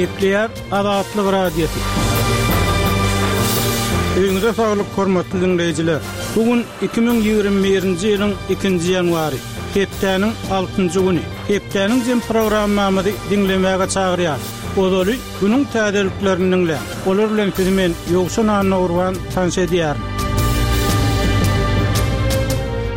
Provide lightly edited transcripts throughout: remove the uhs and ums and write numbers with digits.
Gepleýär Azatlyk Radiosy. Öýüňize saglyk hormatly diňleýjiler! Bu gün 2021-nji ýylyň ikinji ýanwary, hepdäniň altynjy güni. Hepdäniň jem programmamyzy diňlemäge çagyrýarys. Ozaly günüň täzeliklerini diňläň. Olar bilen sizi men, Ýowşan Annagurban, tanyş edýärin.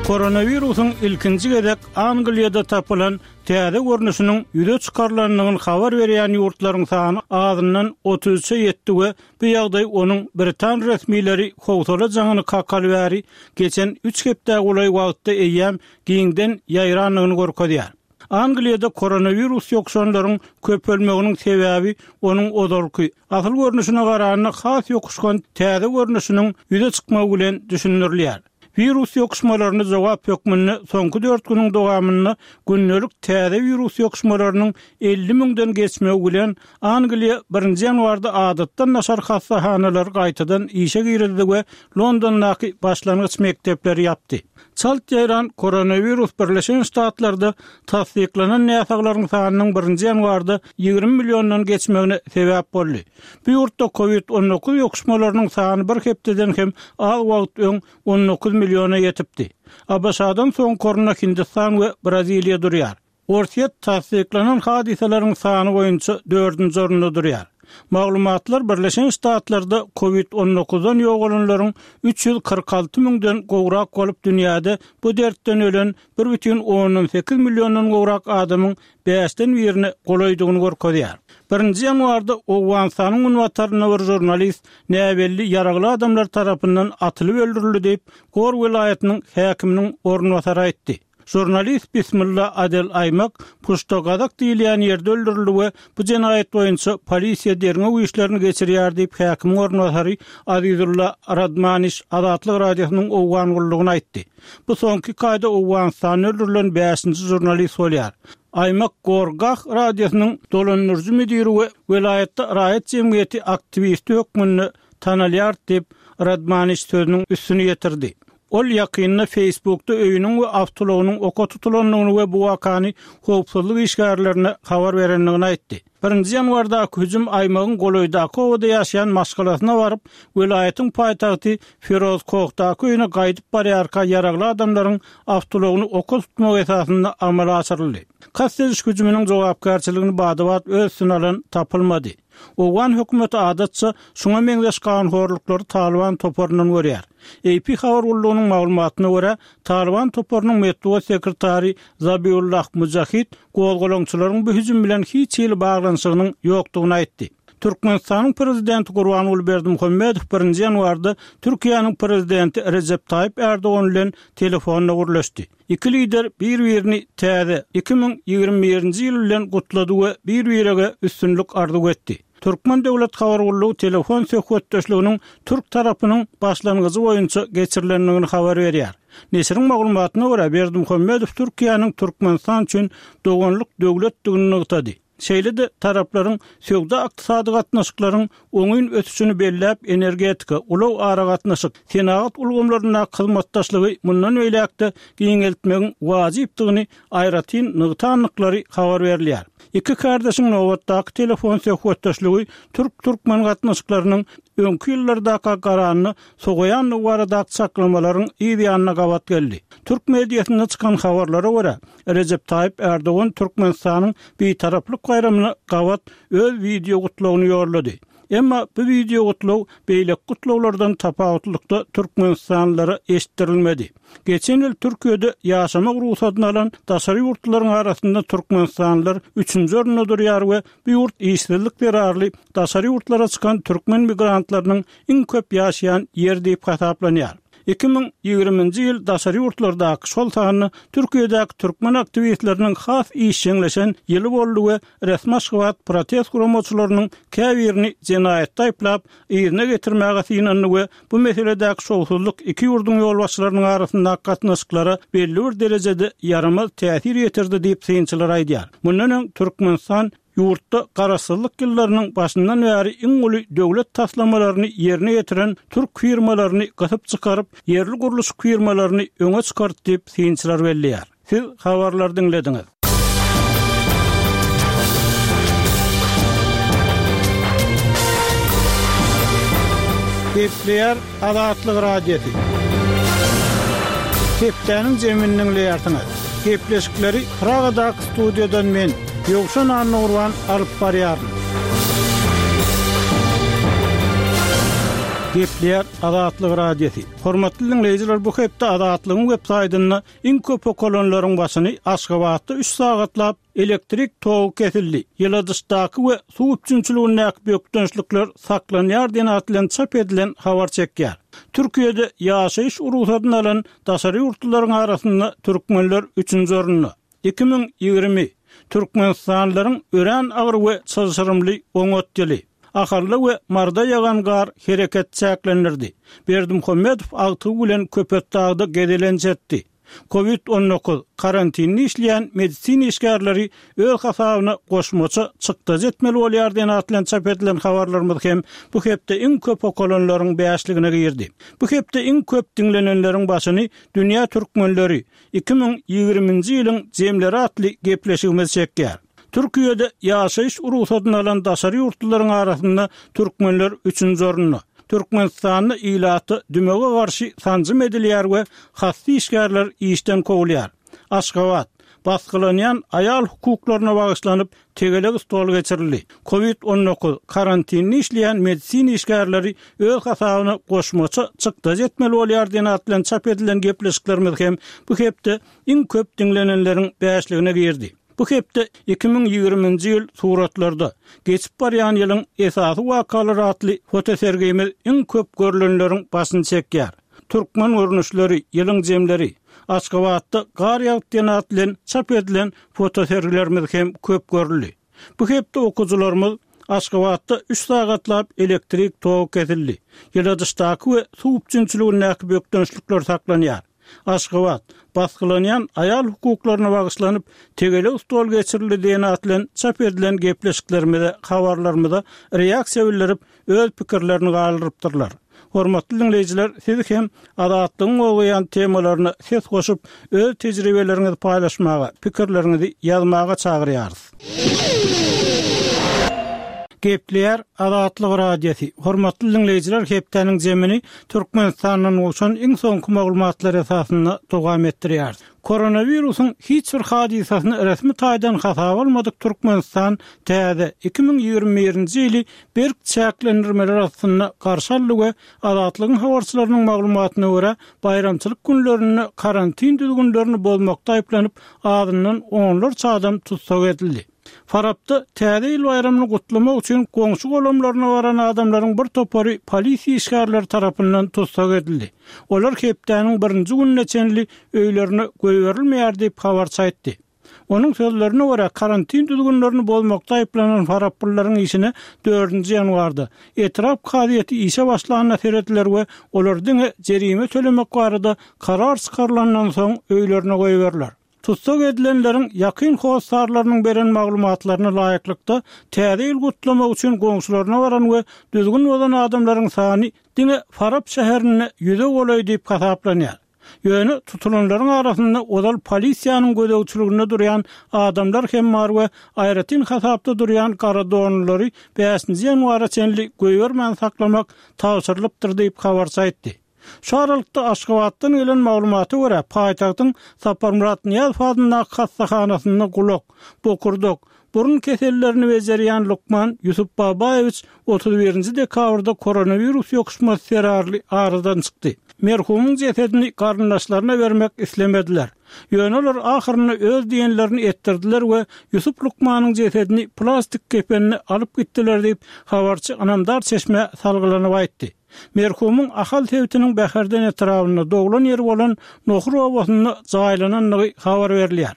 Koronawirusyň ilkinji gezek Angliýada tapylan täze görnüşiniň ýüze çykarylandygyny habar berýän ýurtlaryň sany azyndan 33-e ýetdi we bu ýagdaý onuň britan resmileri howsala jaňyny kakaly bäri geçen üç hepdä golaý wagtda eýýäm giňden ýaýrandygyny görkezýär. Angliýada koronawirus ýokuşanlaryň köpelmeginiň sebäbi onuň ozalky, asyl görnüşine garanda has ýokuşgan täze görnüşiniň ýüze çykmagy bilen düşündirilýär. Wirus ýokuşmalaryna jogap hökmünde soňky dört günüň dowamynda gündelik täze wirus ýokuşmalarynyň 50 müňden geçmegi bilen, Angliýa birinji ýanwarda adatdan daşary hassahanalary gaýtadan işe girizdi we Londondaky başlangyç mekdepleri ýapdy. Çalt ýaýran koronawirus Birleşen Ştatlarda tassyklanan näsaglaryň sanynyň birinji ýanwarda 20 milliondan geçmegine sebäp boldy. Bu ýurtda covid 19 ýokuşmalarynyň sany bir hepdeden hem az wagt öň 19 milliona ýetipdi. ABŞ-dan soňky orunda Hindistan we Braziliýa durýar. Orsýet tassyklanan hadysalaryň sany boýunça dördünji orunda durýar. Maglumatlar Birleşen Ştatlarda covid 19-dan ýogalanlaryň 346 müňden gowrak bolup dünýäde bu dertden ölen bir bütin ondan sekiz milliondan gowrak adamyň bäşden birine golaýdygyny görkezýär. Birinji ýanwarda Owganystanyň günbatarynda bir žurnalist näbelli ýaragly adamlar tarapyndan atylyp öldürildi diýip, Gor welaýatynyň häkiminiň orunbasary aýtdy. Žurnalist Bismilla Adel Aýmak Puşta Gazak diýilýän ýerde öldürildi we bu jenaýat boýunça polisiýa derňew işlerini geçirýär diýip, häkimiň orunbasary Azizulla Radmaniş Azatlyk Radiosynyň Owgan gullugyna aýtdy. Bu soňky iki aýda Owganystanda öldürilen bäşinji žurnalist bolýar. Aýmak Gorgah radiosynyň dolandyryjy müdiri we welaýatda raýat jemgyýeti aktiwisti hökmünde tanalýar diýip, Radmaniş sözüniň üstüni ýetirdi. Ol ýakynda Facebookda öýüniň we awtoulagynyň oka tutulandygyny we bu wakany howpsuzlyk işgärlerine habar berendigini aýtdy. Birinji ýanwardaky hüjüm Aýmagyň golaýdaky obada ýaşaýan maşgalasyna baryp, welaýatyň paýtagty Firozkohdaky öýüne gaýdyp barýarka ýaragly adamlaryň awtoulagyny oka tutmagy esasynda amala aşyryldy. Kast ediş hüjüminiň jogapkärçiligini bada-bat öz üstüne alan tapylmady. Owgan hökümeti adatça şuňa meňzeş ganhorluklary Talyban toparyndan görýär. AP habar gullugynyň maglumatyna görä, Talyban toparynyň metbugat sekretary Zabiullah Mujahid gozgalaňçylaryň bu hüjüm bilen hiç hili baglanyşygynyň ýokdugyny aýtdy. Türkmenistanyň Prezidenti Gurbanguly Berdimuhamedow birinji ýanwarda Türkiýäniň Prezidenti Rejep Taýyp Ärdogan bilen telefonda gürleşdi. Iki lider bir-birini täze 2021-nji ýyl bilen gutlady we bir-birege üstünlik arzuw etdi. Türkmen döwlet habar gullugy telefon söhbetdeşliginiň türk tarapynyň başlangyjy boýunça geçirilendigini habar berýär. Neşiriň maglumatyna görä, Berdimuhamedow Türkiýäniň Türkmenistan üçin doganlyk döwletdigini nygtady. Şeýle-de taraplaryň söwda-ykdysady gatnaşyklaryň oňyn ösüşini belläp, energetika, ulag-aragatnaşyk, senagat ulgamlaryndaky hyzmatdaşlygy mundan beýläk-de giňeltmegiň wajypdygyny aýratyn nygtandyklary habar berilýär. Iki kärdeşiň nobatdaky telefon söhbetdeşligi türk-türkmen gatnaşyklarynyň öňki ýyllardaka garanda sowaýandygy baradaky çaklamalaryň yz ýanyna gabat geldi. Türk mediasynda çykan habarlara görä, Rejep Taýyp Ärdogan Türkmenistanyň Bitaraplyk baýramyna gabat öz wideo gutlagyny ýollady. Emma bu wideo gutlag beýleki gutlaglardan tapawutlykda türkmenistanlylara eşitdirilmedi. Geçen ýyl Türkiýede ýaşamak rugsadyny alan daşary ýurtlularyň arasynda türkmenistanlylar üçünji orunda durýar we bu ýurt işsizlik zerarly daşary ýurtlara çykan türkmen migrantlarynyň iň köp ýaşaýan ýeri diýip hasaplanýar. 2020-nji ýyl daşary ýurtlardaky, şol sanda Türkiýedäki türkmen aktiwistleriniň has işjeňleşen ýyly boldy we resmi Aşgabat protest guramaçylarynyň käbirini jenaýatda aýyplap, yzyna getirmäge synandy we bu meseledäki şowsuzlyk iki ýurduň ýolbaşçylarynyň arasyndaky gatnaşyklara belli bir derejede ýaramaz täsir ýetirdi diýip, synçylar aýdýar. Mundan öň Türkmenistan ýurtda garaşsyzlyk ýyllarynyň başyndan bäri iň uly döwlet taslamalaryny ýerine ýetiren türk firmalaryny gysyp çykaryp, ýerli gurluşyk firmalaryny öňe çykardy diýip, synçylar belleýär. Siz habarlary diňlediňiz. Gepleýär Azatlyk Radiosy. Hepdäniň jemini diňleýärsiňiz. Gepleşikleri Pragadaky studiýadan men, Ýowşan Annagurban alyp barýaryn. Gepleýär Azatlyk Radiosy. Hormatly diňleýjiler, bu hepde Azatlygyň web saýtynda iň köp okalanlaryň başyny Aşgabatda üç sagatlap Elektrik togy kesildi, ýyladyşdaky we suw üpjünçiligindäki bökdençlikler saklanýar diýen at bilen çap edilen habar çekýär. Türkiýede ýaşaýyş rugsadyny alan daşary ýurtlularyň arasynda türkmenler üçünji orunda. 2020, türkmenistanlylaryň örän agyr we çylşyrymly oňat ýyly. Ahalda we Maryda ýagan gar hereket çäklendirdi. Berdimuhamedow agtygy bilen Köpetdagda gezelenç etdi. Covid 19, karantinde işleýän medisina işgärleri öz hasabyna goşmaça çykdajy etmeli bolýar diýen at bilen çap edilen habarlarymyz hem bu hepde iň köp okalanlaryň bäşligine girdi. Bu hepde iň köp diňlenenleriň başyny Dünýä türkmenleri, 2020-nji ýylyň jemleri atly gepleşigimiz çekýär. Türkiýede ýaşaýyş rugsadyny alan daşary ýurtlularyň arasynda türkmenler üçünji orunda. Türkmenistanda ilata dümewe garşy sanjym edilýär we hassa işgärler işden kowulýar. Aşgabat, Basgylanýan aýal hukuklaryna bagyşlanyp tegelek stol geçirildi. Covid 19, karantinde işleýän medisina işgärleri öz hasabyna goşmaça çykdajy etmeli bolýar diýen at bilen çap edilen gepleşiklerimiz hem bu hepde iň köp diňlenenleriň bäşligine girdi. Bu hepde 2020-nji ýyl suratlarda, geçip barýan ýylyň esasy wakalary atly fotosergimiz iň köp görlenleriň başyny çekýär. Türkmen görnüşleri, ýylyň jemleri, Aşgabatda gar ýagyp diýen at bilen çap edilen fotosergilerimiz hem köp görüldi. Bu hepde okyjylarymyz Aşgabatda üç sagatlap elektrik togy kesildi. Ýyladyşdaky we suw üpjünçiligindäki bökdençlikler saklanýar. Aşgabat, basgylanýan aýal hukuklaryna bagyşlanyp, tegelek stol geçirildi diýen at bilen çap edilen gepleşiklerimize, habarlarymyza reaksiýa bildirip, öz pikirlerini galdyrypdyrlar. Hormatly diňleýjiler, siz hem Azatlygyň gozgaýan temalaryna ses goşup, öz tejribeleriňizi paýlaşmaga, pikirleriňizi ýazmaga çagyrýarys. Gepleýär Azatlyk Radiosy, Hormatly diňleýjiler hepdäniň jemini Türkmenistandan gowşan iň soňky maglumatlar esasynda dowam etdirýäris. Koronawirusyň hiç bir hadysasyny resmi taýdan hasaba almadyk Türkmenistan täze 2021-nji ýyly berk çäklendirmeler astynda garşy aldy we Azatlygyň habarçylarynyň maglumatyna görä, baýramçylyk günlerinde karantin düzgünlerini bozmakda aýyplanyp, azyndan onlarça adam tussag edildi. Farapda Täze ýyl baýramyny gutlamak üçin goňşy-golamlaryna baran adamlaryň bir topary polisiýa işgärleri tarapyndan tussag edildi. Olar hepdäniň birinji gününe çenli öýlerine goýberilmeýär diýip, habarçy aýtdy. Onuň sözlerine görä, karantin düzgünlerini bozmakda aýyplanan faraplylaryň işine dördünji ýanwarda, etrap kazyýeti işe başlanda serediler we olar diňe jerime tölemek barada karar çykarylandan soň öýlerine goýberiler. Tussag edilenleriň ýakyn hossarlarynyň beren maglumatlaryna laýyklykda, Täze ýyl gutlamak üçin goňşularyna baran we düzgün bozan adamlaryň sany diňe Farap şäherinde ýüze golaý diýip hasaplanýar. Ýöne tutulanlaryň arasynda ozal polisiýanyň gözegçiliginde durýan adamlar hem bar we aýratyn hasapda durýan gara donlulary bäşinji ýanwara çenli goýbermän saklamak tabşyrylypdyr diýip, habarçy aýtdy. Şu aralykda, Aşgabatdan gelen maglumata görä, paýtagtyň Saparmyrat Nyýazow adyndaky hassahanasynda gulak, bokurdak, burun kesellerini bejerýän lukman Ýusup Babaýewiç 31-nji dekabrda koronawirus ýokuşmasy zerarly aradan çykdy. Merhumyň jesedini garyndaşlaryna bermek islemediler. Ýöne olar ahyrynda öz diýenlerini etdirdiler we Ýusup lukmanyň jesedini plastik kepende alyp gitdiler diýip, habarçy ynamdar çeşmä salgylanyp aýtdy. Merhumyň Ahal sebitiniň Bäherden etrabynda, doglan ýeri bolan Nohur obasynda jaýlanandygy habar berilýär.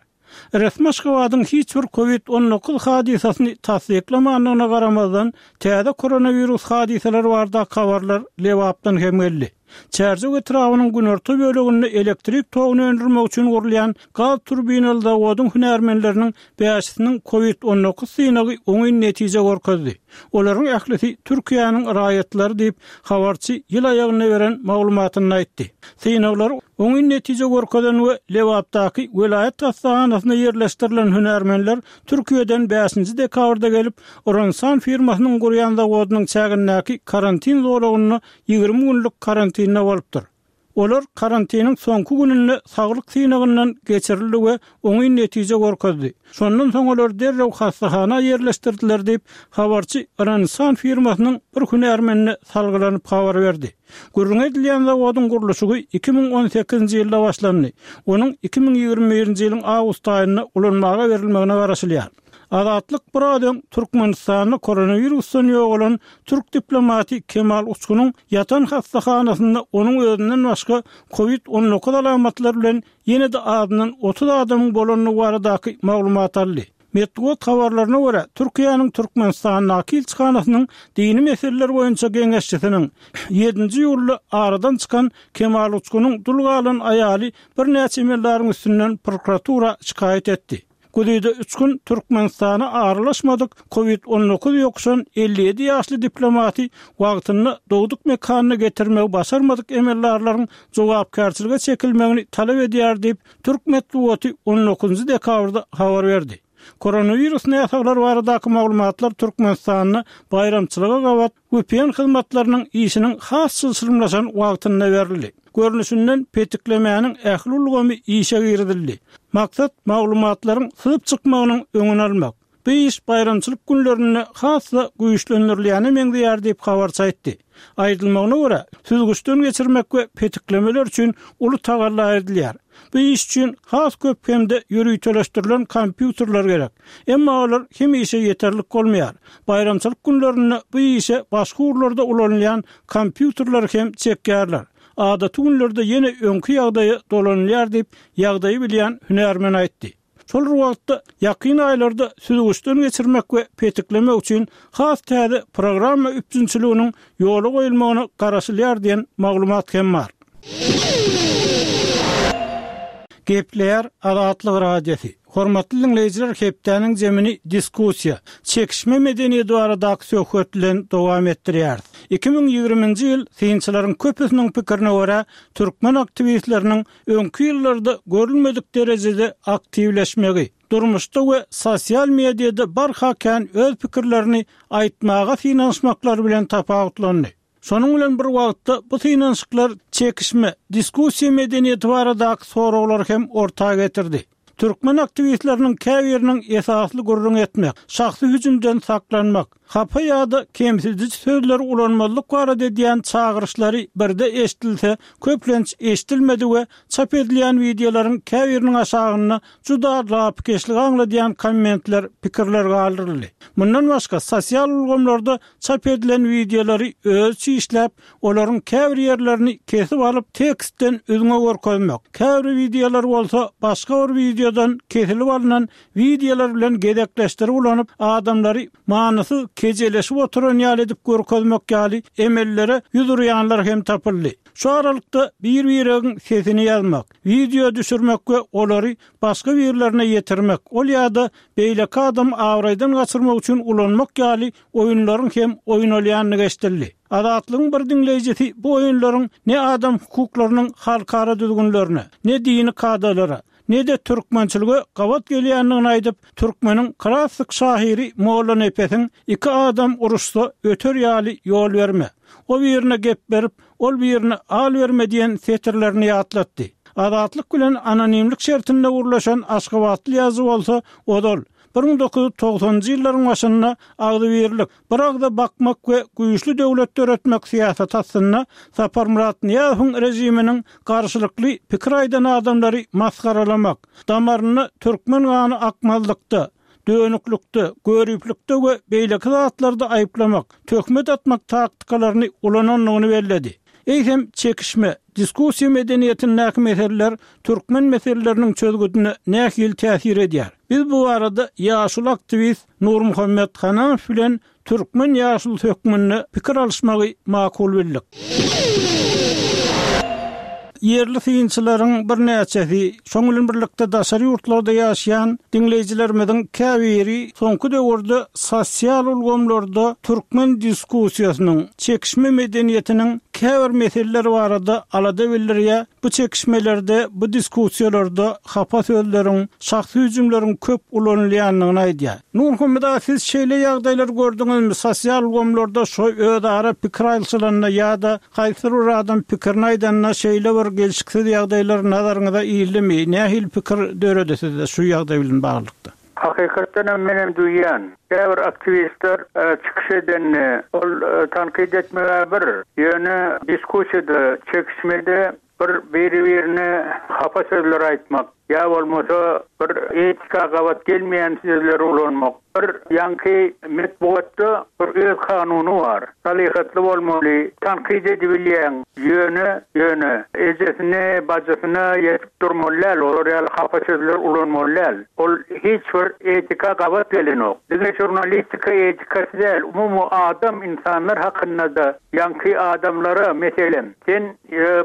Resmi Aşgabadyň hiç bir Covid 19 hadysasyny tassyklamandygyna garamazdan, täze koronawirus hadysalary baradaky habarlar Lebapdan hem geldi. Çärjew etrabynyň günorta böleginde elektrik toguny öndürmek üçin gurulýan gaz turbinaly zawodyň hünärmenleriniň bäşisiniň Covid 19 synagy oňyn netije görkezdi. Olaryň ählisi Türkiýäniň raýatlary diýip, habarçy ýyl aýagynda beren maglumatynda aýtdy. Synaglar oňyn netije görkezen we Lebapdaky welaýat hassahanasyna ýerleşdirilen hünärmenler Türkiýeden bäşinji dekabrda gelip, Ronsan firmasynyň gurýan zawodynyň çägindäki karantin zolagynda 20 günlük karantinde bolupdyr. Olar karantiniň soňky gününde saglyk synagyndan geçirildi we oňyn netije görkezdi. Şondan soň olary derrew hassahana ýerleşdirdiler diýip, habarçy Rönsan firmasynyň bir hünärmenine salgylanyp habar berdi. Gürrüňi edilýän zawodyň gurluşygy 2018-nji ýylda başlandy. Onuň 2021-nji ýylyň awgust aýynda ulanmaga berilmegine garaşylýar. Azatlyk biraz öň Türkmenistanda koronawirusdan ýogalan türk diplomaty Kemal Uçgunyň ýatan hassahanasynda onuň özünden başga Covid 19 alamatlary bilen ýene-de azyndan 30 adamyň bolandygy baradaky maglumat aldy. Metbugat habarlaryna görä, Türkiýäniň Türkmenistandaky ilçihanasynyň dini meseleler boýunça geňeşçisiniň ýedinji iýulda aradan çykan Kemal Uçgunyň dul galan aýaly birnäçe emeldaryň üstünden prokuratura şikaýat etdi. Güzide üç gün Türkmenistana aralaşmadyk Covid 19 ýokuşan 57 ýaşly diplomaty wagtynda dogduk mekanyna getirmegi başarmadyk emeldarlaryň jogapkärçilige çekilmegini talap edýär diýip, türk metbugaty on dokuzynjy dekabrda habar berdi. Koronawirus näsaglary baradaky maglumatlar Türkmenistanda baýramçylyga gabat VPN hyzmatlarynyň işiniň has çylşyrymlaşan wagtynda berildi. Görnüşinden petiklemäniň ähli ulgamy işe girizildi. Maksat maglumatlaryň syzyp çykmagynyň öňüni almak. Bu iş baýramçylyk günlerinde has-da güýçlendirilýäne meňzeýär diýip, habarçy aýtdy. Aýdylmagyna görä, süzgüçden geçirmek we petiklemeler üçin uly tagalla edilýär. Bu iş üçin has köp hem-de ýöriteleşdirilen kompýuterler gerek. Emma olar hemişe ýeterlik bolmaýar. Baýramçylyk günlerinde bu işe başga ugurlarda ulanylýan kompýuterleri hem çekýärler. Adaty günlerde ýene öňki ýagdaýa dolanylýar diýip, ýagdaýy bilýän hünärmen aýtdy. Şol bir wagtda, ýakyn aýlarda süzgüçden geçirmek we petiklemek üçin has täze programma üpjünçiliginiň ýola goýulmagyna garaşylýar diýen maglumat hem bar. Gepleýär Azatlyk Radiosy. Hormatly diňleýjiler hepdäniň jemini diskussiýa, çekişme medeniýeti baradaky söhbet bilen dowam etdirýäris. 2020-nji ýyl synçylaryň köpüsiniň pikirine görä, türkmen aktiwistleriniň öňki ýyllarda görülmedik derejede aktiwleşmegi, durmuşda we sosial mediada barha kän öz pikirlerini aýtmaga synanyşmaklary bilen tapawutlandy. Şonuň bilen bir wagtda bu synanyşyklar çekişme, diskussiýa medeniýeti baradaky soraglary hem orta getirdi. Türkmen aktiwistleriniň käbiriniň esasly gürrüň etmek, şahsy hüjümden saklanmak, hapa ýa-da kemsidiji sözleri ulanmazlyk barada edýän çagyryşlary birde eşidilse, köplenç eşidilmedi we çap edilýän wideolaryň käbiriniň aşagynda juda lapykeçligi aňladýan kommentler, pikirler galdyryldy. Mundan başga, sosial ulgamlarda Çap edilen wideolary özüçe işläp, olaryň käbir ýerlerini kesip alyp, tekstden üzňe görkezmek, käbir wideolary bolsa başga bir wideodan kesilip alnan wideolar bilen gezekleşdirip ulanyp, adamlary manysyz kejeleşip oturan ýaly edip görkezmek ýaly emellere ýüz urýanlar hem tapyldy. Şu aralykda bir-biregiň sesini ýazmak, wideo düşürmek we olary başga birlerine ýetirmek, ol ýa-da beýleki adamy abraýdan gaçyrmak üçin ulanmak ýaly oýunlaryň hem oýnalýandygy eşidildi. Azatlygyň bir diňleýjisi bu oýunlaryň ne adam hukuklarynyň halkara düzgünlerine, ne dini kadalara, ne-de türkmençilige gabat gelýändigini aýdyp, türkmeniň klassyk şahyry Mollanepesiň Iki adam uruşsa, öter ýaly ýol berme. O birine gep berip, ol birine al berme diýen setirlerini ýatlatdy. Azatlyk bilen anonimlik şertinde gürleşen aşgabatly ýazyjy bolsa ozal, 1990-njy ýyllaryň başynda agzybirlik, bir agza bakmak we güýçli döwlet döretmek syýasaty astynda Saparmyrat Nyýazowyň režiminiň garşylykly pikir aýdan adamlary masgaralamak, damarynda türkmen gany akmazlykda, dönüklikde, göriplikde we beýleki zatlarda aýyplamak, töhmet atmak taktikalaryny ulanandygyny belledi. Eýsem, çekişme, diskussiýa medeniýetindäki meseleler türkmen meseleleriniň çözgüdine nähili täsir edýär? Biz bu barada ýaşuly aktiwist Nurmuhammet Hananow bilen türkmen ýaşulusy hökmünde pikir alyşmagy makul bildik. Ýerli synçylaryň birnäçesi, şoň bilen birlikde daşary ýurtlarda ýaşaýan diňleýjilerimiziň käbiri soňky döwürde sosial ulgamlarda türkmen diskussiýasynyň, çekişme medeniýetiniň käbir meseleleri barada alada bildirýär, bu çekişmelerde, bu diskussiýalarda hapa sözleriň, şahsy hüjümleriň köp ulanylýandygyny aýdýar. Nurmuhammet aga siz şeýle ýagdaýlary gördüňizmi, sosial ulgamlarda şo özara pikir aýlşylanda ýa-da Haýsydyr bir adam pikirini aýdanda şeýle bir gelşiksiz ýagdaýlar nazaryňyza ildimi? Nähili pikir döredi sizde şu ýagdaý bilen baglylykda? Hakykatdan hem menem duýýan. Käbir aktiwistler çykyş edende, ol tankyt etmeg-ä bir, ýöne diskussiýada, çekişmede bir biri-birine hapa sözler aýtmak, ýa bolmasa bir etika gabat gelmeýän sözleri ulanmak, bir ýaňky metbugatda bir öz kanuny bar. Salyhatly bolmaly, tankyt edibilýäň, ýöne, ýöne ejesine, bajysyna ýetip durmaly däl, olar ýaly hapa sözler ulanmaly däl. Ol hiç bir etika gabat gelenok. Diňe žurnalistika etikasy däl, umumy adam, ynsanlar hakynda-da ýaňky adamlara, meselem, sen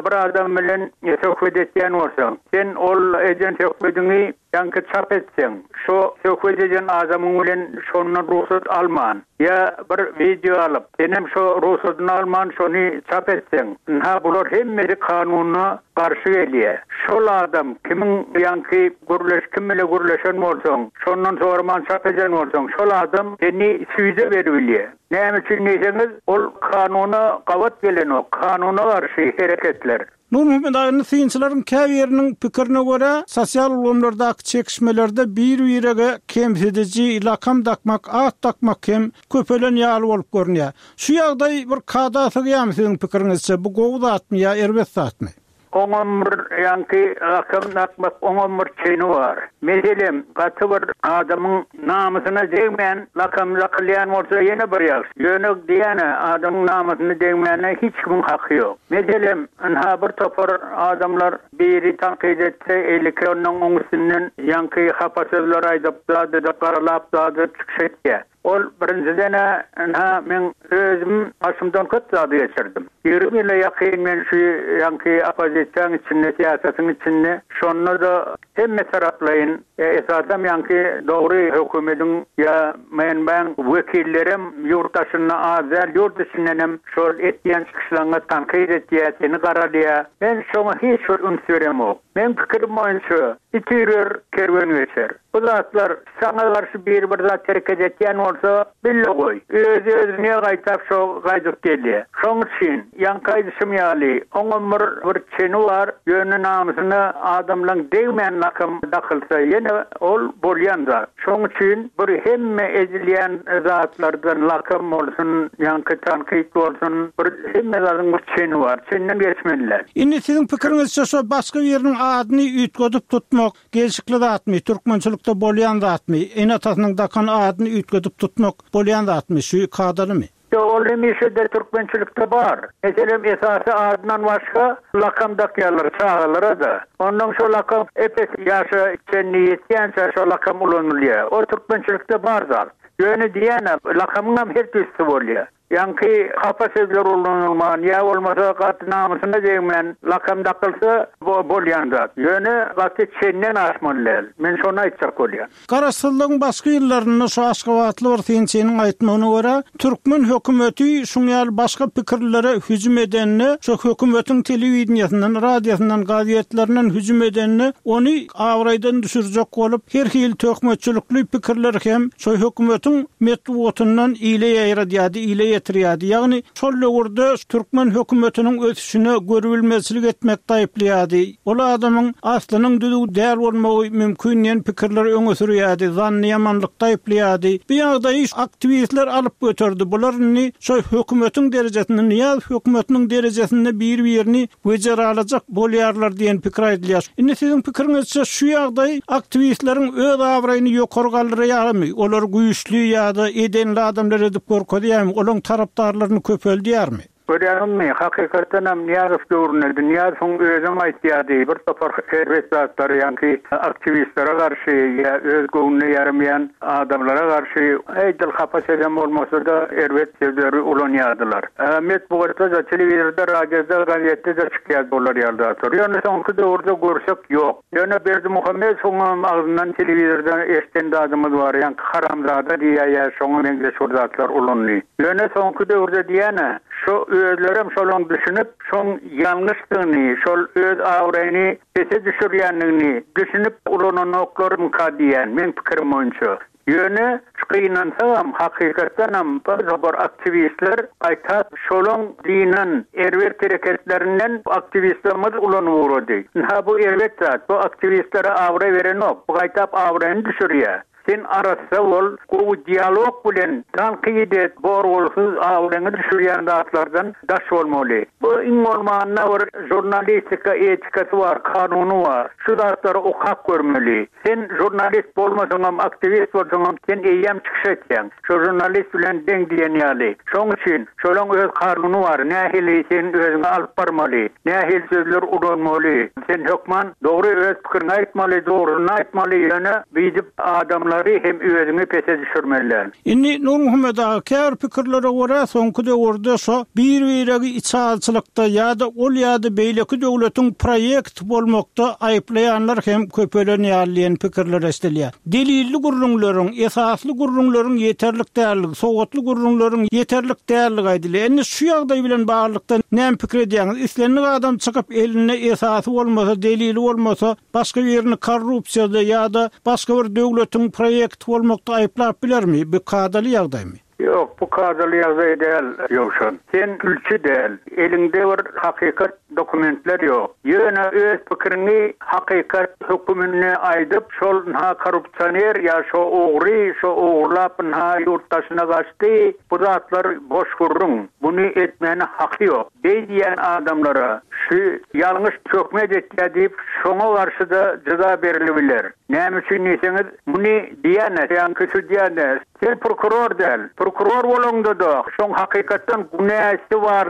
Bir adam bilen söhbet etýän bolsaň, sen ol eden söhbediňi ýaňky çap etseň, şo söhbet eden adamyň bilen şondan rugsat alman, ýa bir wideo alyp, senem şo rugsadyny alman şony çap etseň, ynha bular hemmesi kanuna garşy gelýä. Şol adam kimiň ýaňky gürleş kim bile gürleşen bolsaň, şondan soraman çap eden bolsaň, şol adam seni süýde beribilýä. Näme üçin diýseňiz, ol kanuna gabat gelenok, kanuna garşy hereketler. Nurmuhammet aga, indi synçylaryň käbiriniň pikirine görä, sosial ulgamlardaky çekişmelerde bir-birege kemsidiji lakam dakmak, at dakmak hem köpelen ýaly bolup görünýär. Şu ýagdaý bir kada sygýarmy siziň pikiriňizçe, bu gowy zatmy ýa erbet zatmy? Oňam bir ýaňky lakam dakmak oňam bir çeni bar. Meselem, gaty bir adamyň namysyna degmän lakam dakylýan bolsa ýene bir ýagşy. Ýöne diýýän-ä, adamyň namysyna degmäne hiç kimiň haky ýok. Meselem, ynha bir topar adamlar biri tankyt etse, eýleki ondan oň üstünden ýaňky hapa sözler aýdyp, zat edip, garalap zat edip çykyş etýär. Ol birinjiden-ä, ynha, meň özüm başymdan köp zady geçirdim. 20 ýyla ýakyn men şu ýaňky oppozisiýaň içinde, syýasatyň içinde, şonda-da hemme taraplaýyn, esasam ýaňky dogry hökümediň ýa MNB-iň wekillerem ýurt daşynda az däl, ýurt içindenem şol etýän çykyşlaryňy tankyt etýär, seni garalýar. Men şoňa hiç bir üns beremok. Meň pikirim boýunça, it üýrer, kerwen geçer. Bu zatlar saňa garşy biri bir zat hereket etýän bolsa, bil-de goý, özi-özüne gaýtap şo gaýdyp gelýär. Şoň üçin, ýaňky aýdyşym ýaly, oňam bir bir çeni bar, ýöne namysyna adamlaň degmän lakam dakylsa ýene ol bolýan zat. Şoň üçin bir hemme edilýän zatlardan lakam bolsun, ýaňky tankyt bolsun, bir hemme zadyň bir çeni bar, çenden geçmeli däl. Indi siziň pikiriňizçe şo başga biriniň adyny üýtgedip tutmak, Gelşikli zatmy, türkmençilikde bolýan zatmy, ene-atasynyň dakan adyny üýtgedip tutmak bolýan zatmy, şu kadalymy? Ýok, ol hemişe-de türkmençilikde bar. Meselem, esasy adyndan başga lakam dakýarlar çagalara-da. Onnoň şo lakam ep-esli ýaşa çenli ýetýänçä şo lakam ulanylýar. O türkmençilikde bar zat. Ýöne diýýän-ä, lakamyňam her tüýsüsi bolýar. Ýaňky hapa sözler ulanylman ýa bolmasa gaty namysyna degmän lakam dakylsa bu bolýan zat. Ýöne gaty çenden aşmaly däl. Men şony aýtjak bolýan. Garaşsyzlygyň başky ýyllarynda şu aşgabatly bir synçynyň aýtmagyna görä, türkmen hökümeti şuň ýaly başga pikirlilere hüjüm edende, şu hökümetiň telewideniýesinden, radiosyndan, gazetlerinden hüjüm edende, ony abraýdan düşürjek bolup, her hili töhmetçilikli pikirleri hem şo hökümetiň metbugatyndan ile ýaýradýardy, ile ýetirýärdi. Ýagny, şol döwürde türkmen hökümetiniň ösüşine görübilmezçilik etmekde aýyplaýardy. Ol adamyň aslynyň düzüw däl bolmagy mümkin diýen pikirleri öňe sürýärdi, zannyýamanlykda aýyplaýardy. Bu ýagdaýy aktiwistler alyp göterdi. Bular indi şo hökümetiň derejesinde, Nyýazow hökümetiniň derejesinde bir-birini wejeralajak bolýarlar diýen pikir aýdylýar. Indi siziň pikiriňizçe şu ýagdaý aktiwistleriň öz abraýyny ýokary galdyrýarmy, olary güýçli ýa-da edenli adamlar edip görkezýärmi, olaryň tarapdarlaryny köpeldýärmi? Görýäňizmi, hakykatdanam Nyýazow döwründe, Nyýazowyň özem aýtýardy, bir topar erbet zatlary, ýaňky aktiwistlere garşy ýa öz göwnüne ýaramaýan adamlara garşy edil hapa sözem bolmasa-da erbet sözleri ulanýardylar. Metbugatda-da, telewizorda, radioda, gazetde-de çykýardy olar ýaly zatlar. Ýöne soňky döwürde görsek ýok. Ýöne Berdimuhamedowyňam agzyndan telewizorda eşden zadymyz bar, ýaňky haramzada diýýär ýa şoňa meňzeş bir zatlar ulandy. Ýöne soňky döwürde diýýän-ä, şo özlerem şolaň düşünip, şoň ýalňyşdygyny, şol öz abraýyny pese düşürýändigini düşünip ulananoklarmyka diýýän, meň pikirim boýunça. Ýöne, gynansagam, hakykatdanam bir topar aktiwistler gaýtap şolaň dynan erbet hereketlerinden aktiwistlerimiz ulanyp ugrady. Ynha bu erbet zat, bu aktiwistlere abraý berenok, bu gaýtap abraýyny düşürýär. Sen arassa bol, gowy dialog bilen tankyt et, bor-bolsuz abraýyňy düşürýän zatlardan daş bolmaly. Bu iň bolmanda bir žurnalistika etikasy bar, kanuny bar. Şu zatlary okap görmeli. Sen žurnalist bolmasaňam, aktiwist bolsaňam, sen eýýäm çykyş etýäň. Şo žurnalist bilen deň diýen ýaly. Şoň üçin, şolaň öz kanuny bar, nähili sen özüňi alyp barmaly, nähili sözler ulanmaly. Sen hökman dogry öz pikiriňi aýtmaly, dogrusyny aýtmaly, ýöne beýdip adamlary hem özüňi pese düşürmeli däl. Indi Nurmuhammet aga, käbir pikirlere görä, soňky döwürde şo bir-biregi içalyçylykda ýa-da ol ýa-da beýleki döwletiň proýekti bolmakda aýyplaýanlar hem köpelen ýaly diýen pikirler eşidilýär. Delilli gürrüňleriň, esasly gürrüňleriň ýeterlik däldigi, sowatly gürrüňleriň ýeterlik däldigi aýdylýar. Indi şu ýagdaý bilen baglylykda näme pikir edýäňiz? Islendik adam çykyp elinde esasy bolmasa, delili bolmasa, başga birini korrupsiýada ýa-da başga bir döwletiň proýekti bolmakda aýyplap bilermi? Bu kadaly ýagdaýmy? Ýok, bu kadaly ýagdaý däl, Ýowşan. Sen sülçi däl, eliňde bir hakykat dokumentler ýok. Ýöne öz pikiriňi hakykat höküminde aýdyp, şol ynha korrupsioner ýa şo ogry, şo ogurlap ynha ýurt daşyna gaçdy, bu zatlar boş gürrüň. Muny etmäne haky ýok. Beý diýýän adamlara şu ýalňyş töhmet etýär diýip, şoňa garşy-da jeza berilibiler. Näme üçin diýseňiz, muny diýýän-ä, ýaňky sudýa-da, Sen prokuror däl. Prokuror bolaňda-da, şoň hakykatdan günäsi bar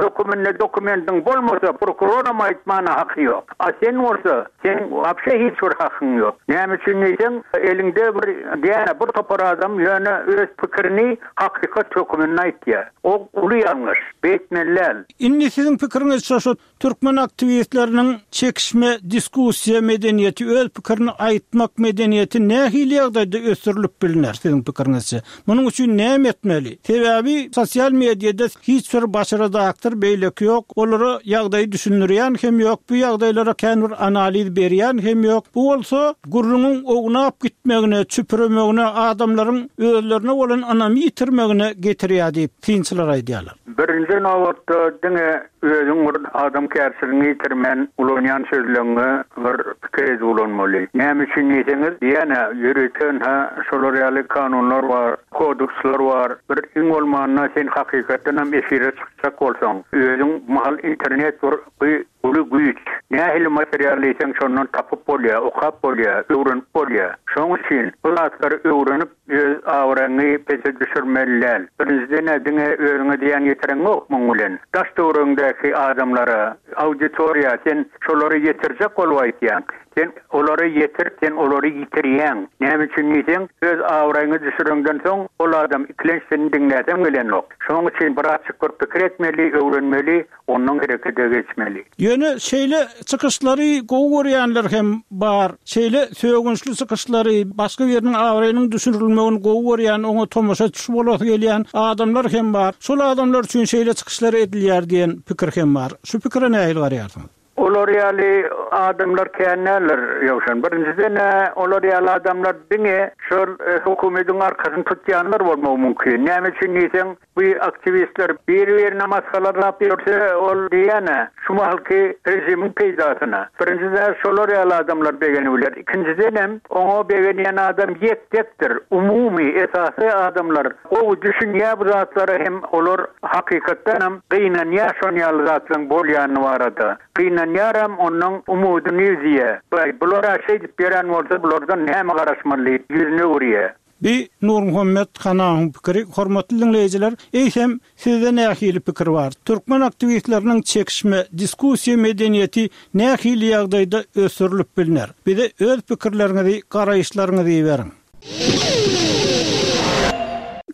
höküminde dokumentiň bolmasa, prokuroram aýtmana haky ýok. A sen bolsa, seň wapşe hiç bir hakyň ýok. Näme üçin diýseň, eliňde bir diýýän-ä, bir topar adam ýöne öz pikirini hakykat höküminde aýtýar. O uly ýalňyş. Beýtmeli däl. Indi siziň pikiriňizçe şu Türkmen aktiwistleriniň çekişme, diskussiýa medeniýeti, öz pikirini aýtmak medeniýeti nähili ýagdaýda ösdürilip bilner, siziň pikiriňizçe? Munuň üçin näme etmeli? Sebäbi sosial mediada hiç bir baş redaktor beýleki ýok, olara ýagdaýy düşündirýän hem ýok, bu ýagdaýlara kän bir analiz berýän hem ýok. Bu bolsa gürrüňiň ownap gitmegine, çüpüremegine, adamlaryň özlerine bolan ynamy ýitirmegine getirýär diýip, synçylar aýdýarlar. Birinji nobatda diňe özüň bir adamkärçiligiňi ýitirmän ulanýan sözleňňe bir pikir edip ulanmaly. Näme üçin diýseňiz, diýýän-ä, ýörite ynha şolar ýaly kanunlar bar, kodeksler bar. Bir iň bolmanda sen hakykatdanam efire çykjak bolsaň, özüň mahal internet bir uly güýç. Nähili material diýseň şondan tapyp bolýar, okap bolýar, öwrenip bolýar. Şoň üçin bu zatlary öwrenip, Öz abraýyňy pese düşürmeli däl. Birinjiden-ä diňe özüňe zyýan ýetireňok muň bilen. Daş-töweregiňdäki adamlara, auditoriýa sen şolary ýetirjek bolup aýtýaň. Sen olary ýetirip sen olary ýitirýäň. Näme üçin diýseň, öz abraýyňy düşüreňden soň ol adam ikilenç seni diňläsem gelenok. Şoň üçin birazjyk bir pikir etmeli, öwrenmeli. Ondan herekete geçmeli. Ýöne şeýle çykyşlary gowy görýänler hem bar. Şeýle sögünçli çykyşlary, başga biriniň abraýynyň düşürilmegini gowy görýän, oňa tomaşaçy bolasy gelýän adamlar hem bar. Şol adamlar üçin şeýle çykyşlar edilýär diýen pikir hem bar. Şu pikire nähili garaýarsyňyz? Olar ýaly adamlar kän däldir, Ýowşan. Birinjiden-ä, olar ýaly adamlar diňe şol hökümediň arkasyny tutýanlar bolmagy mümkin. Näme üçin diýseň, Bu aktiwistler biri-birine masgaralap ýörse, ol diýýän-ä, şu mahalky režimiň peýdasyna. Birinjiden, şolar ýaly adamlar begenibiler. Ikinjidenem, oňa begenýän adam ýek-tekdir. Umumy, esasy adamlar gowy düşünýär bu zatlara hem olar hakykatdanam gynanýar şon ýaly zatlaryň bolýany barada. Gynanýaram, onnoň umudyny üzýär. Baý, bular-a şeýdip ýören bolsa, bulardan näme garaşmaly diýip, ýüzüni öwürýär. Bi Nurmuhammet Hanawyň pikiri. Hormatly diňleýjiler, eýsem, sizde nähili pikir bar? Türkmen aktiwistleriniň çekişme, diskussiýa medeniýeti nähili ýagdaýda ösdürilip bilner? Bize öz pikirleriňizi, garaýyşlaryňyzy iberiň.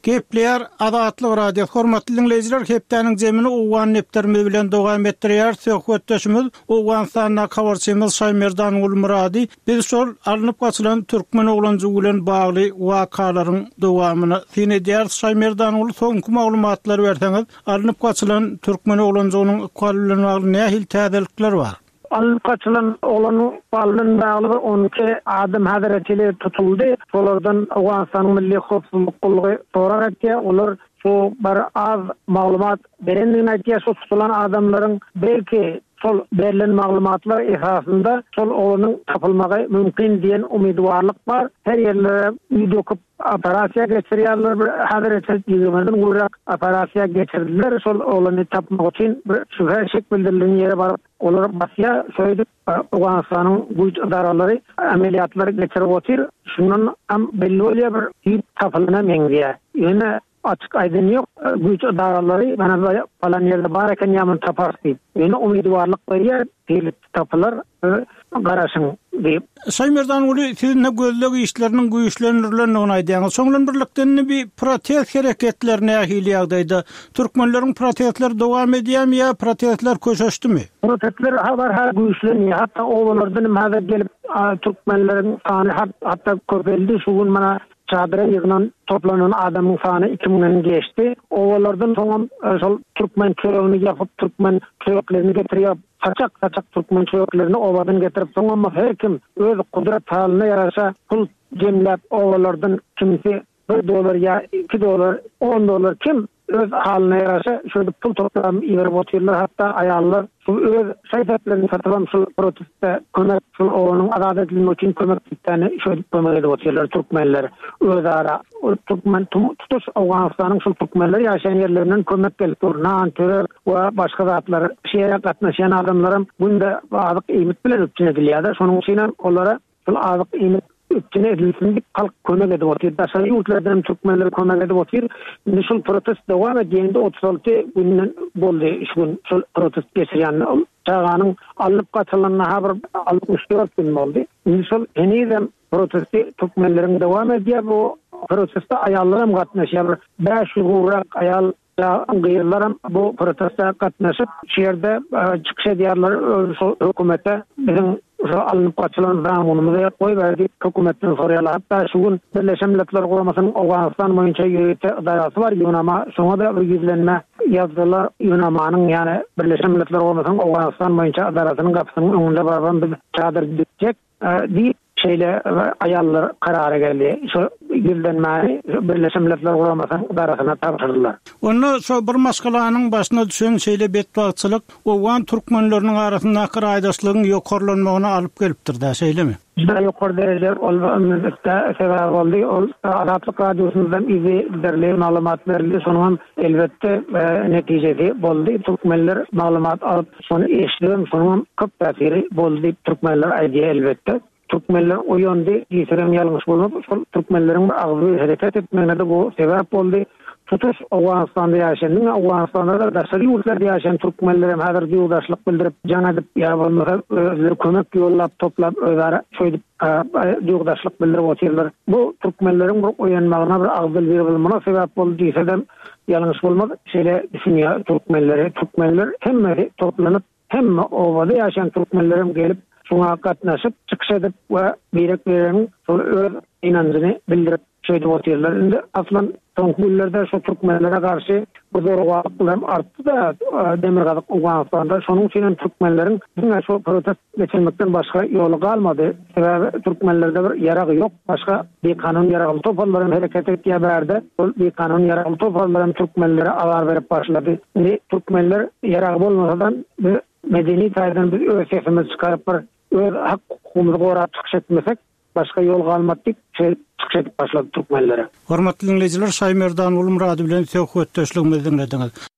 Gepleýär Azatlyk Radiosy. Hormatly diňleýjiler, hepdäniň jemini owgan depderimiz bilen dowam etdirýäris. Söhbetdeşimiz Owganystandaky habarçymyz Şaýmerdan Gulmyrady. Biz şol alnyp gaçylan türkmen oglanjygy bilen bagly wakalaryň dowamyna syn edýäris. Şaýmerdanguly soňky maglumatlary berseňiz, alnyp gaçylan türkmen oglanjygynyň ykbaly bilen bagly nähili täzelikler bar? Alnyp gaçylan oglanyň ykbaly bilen bagly bir 12 adam häzire çenli tutuldy. Şolardan Owganystanyň Milli howpsuzlyk gullugy sorag etýär. Olar şu bir az maglumat berendigini aýdýar. Şu tutulan adamlaryň belki şol berlen maglumatlar esasynda şol oglanyň tapylmagy mümkin diýen umydybarlyk bar. Her ýerlere uý döküp operasiýa geçirýärler. Bir häzire çenli ýigrimiden gowrak operasiýa geçirdiler. Şol oglany tapmak üçin bir şübhe şek bildirilen ýere baryp olar basýar. Şeýdip Owganystanyň güýç edaralary amelýatlary geçirip otyr. Şundan hem belli bolýar bir düýp tapylana meňzeýär. Ýöne açyk aýdan ýok güýç edaralary mana palan ýerde bar eken ýa muny taparys diýip. Ýöne umydybarlyk berýär tizlikde tapylar garaşyň diýip. Şaýmerdanguly siz indi gözleg işleriniň güýçlendirilendigini aýdýaňyz. Şoň bilen birlikde indi bi protest hereketleri nähili ýagdaýda? Türkmenleriň protestleri dowam edýärmi ýa protestler köşeşdimi? Protestler barha güýçlenýär. Hatda obalardan hem häzir gelip türkmenleriň sany hatda köpeldi. Şu gün mana çadyra ýygnan toplanan adamyň sany iki müňden geçdi. Obalardan soňam şol türkmen çöregini ýapyp türkmen çöreklerini getirýär. Saçak-saçak türkmen çöreklerini obadan getirip, soňam her kim öz gudrat halyna ýaraşa pul jemläp obalardan kimsi bir dollar ýa iki dollar, on dollar kim öz halyna ýaraşa şeýdip pul toplap iberip otyrlar. Hatda aýallar şu öz şaý-seplerini satybam şul proteste kömek, şul obanyň azat edilmegi üçin kömek diýipdäni şeýdip kömek edip otyrlar türkmenler özara. Türkmen tutuş Owganystanyň şul türkmenler ýaşaýan ýerlerinden kömek gelip dur. Nan, çörek we başga zatlar. Şu ýere gatnaşýan adamlaram günde azyk iýmit bilen üpjün edilýär-de. Şonuň üçinem olara şul azyk iýmit üpjün edilsin diýip halk kömek edip otyr. Daşary ýurtlardan hem türkmenler kömek edip otyr. Indi şul protest dowam edýär. Indi 36 günden boldy şu gün şul protest geçirýän. Çaganyň alnyp gaçylanyna ha bir 64 gün boldy. Indi şol henizem Protesti türkmenleriň dowam edýär bu proteste aýallar hem gatnaşýar bir 500 gowrak aýal gyzlar hem bu proteste gatnaşyp şu ýerde çykyş edýärler şol hökümete biziň şu alnyp gaçylan zamunymyzy goýber diýip hökümetden soraýarlar hatda şu gün Birleşen Milletler Guramasynyň Owganystan boýunça ýörite ydarasy bar ÝUNAMA şoňa-da bir ýüzlenme ýazdylar ÝUNAMA-nyň ýagny Birleşen Milletler Guramasynyň Owganystan boýunça ydarasynyň gapysynyň öňünde barybam biz çadyr dikjek Diýip, şeýle aýallar karara geldi. Şu ýüzlenmäni Birleşen Milletler Guramasynyň edarasyna tabşyrdylar. Onda şo bir maşgalanyň başyna düşen şeýle betbagtçylyk owgan türkmenleriniň arasyndaky raýdaşlygyň ýokarlanmagyna alyp gelipdir-dä, şeýlemi? Juda ýokary dereje ol sebäp boldy. Ol Azatlyk Radiosymyzdan yzygiderli maglumat berildi. Şonuňam elbetde netijesi boldy. Türkmenler maglumat alyp Şony eşidibem şonuňam köp täsiri boldy diýip türkmenler aýdýar elbetde. Türkmenler oýandy diýsegem ýalňyş bolmaz. Şol türkmenleriň bir agzybir hereket etmegine-de bu sebäp boldy. Tutuş Owganystanda ýaşaýan, diňe Owganystanda-da daşary ýurtlarda ýaşaýan türkmenlerem häzir duýgudaşlyk bildirip jaň edip ýa bolmasa özleri kömek ýollap toplap özara şeýdip duýgudaşlyk bildirip otyrlar. Bu türkmenleriň bir oýanmagyna bir agzybir bolmagyna sebäp boldy diýsedem Ýalňyş bolmaz, şeýle düşünýär türkmenleri. Türkmenler hemmesi toplanyp, hemme obada ýaşaýan türkmenlerem gelip, şuňa gatnaşyp, çykyş edip we birek-biregiň şol öz ynanjyny bildirip şeýdip otyrlar. Indi aslan soňky günlerde şu türkmenlere garşy bu zorawanlyklar hem artdy-da Demirgazyk Owganystanda. Şonuň üçin hem türkmenleriň diňe şu protest geçirmekden başga ýoly galmady. Sebäbi türkmenlerde bir ýarag ýok. Başga bikanun ýaragly toparlar hem hereket etýär bärde. Ol bikanun ýaragly toparlar hem türkmenlere azar berip başlady. Indi türkmenler ýaragy bolmasadan biz medeni taýdan biz öz sesimizi çykaryp bir öz hak hukugymyzy gorap çykyş etmesek başga ýol galmady diýip şeýdip çykyş edip başlady türkmenlere. Hormatly diňleýjiler Şaýmerdan Gulmyrady bilen söhbetdeşligimizi diňlediňiz.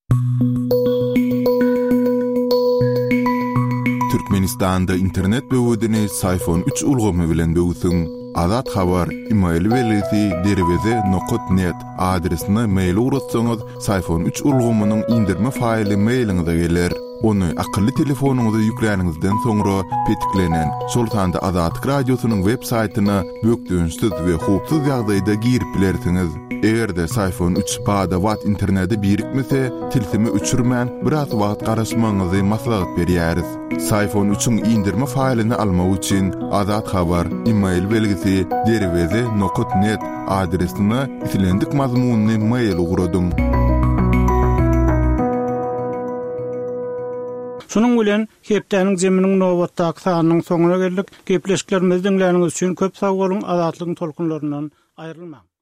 Türkmenistanda internet böwedini Syfon üç ulgamy bilen böwsüň. Azat Habar, email belgisi derweze nokat net adresine mail ugratsaňyz, Syfon üç ulgamynyň indirme faýly mailiňize geler. Ony akylly telefonyňyza ýükläniňizden soňra petiklenen, şol sanda Azatlyk Radiosynyň web saýtyna bökdençsiz we howpsuz ýagdaýda girip bilersiňiz. Eger-de Syfon üç bada-bat internete birikmese, tilsimi öçürmän, biraz wagt garaşmagyňyzy maslahat berýäris. Syfon üçiň indirme faýlyny almak üçin Azat Habar, email belgisi, derweze nokat net adresine islendik mazmunly mail ugradyň. Şunuň bilen, hepdäniň jeminiň nobatdaky sanynyň soňuna geldik. Gepleşiklerimizi diňläniňiz üçin köp sag boluň, Azatlygyň tolkunlaryndan aýrylmaň!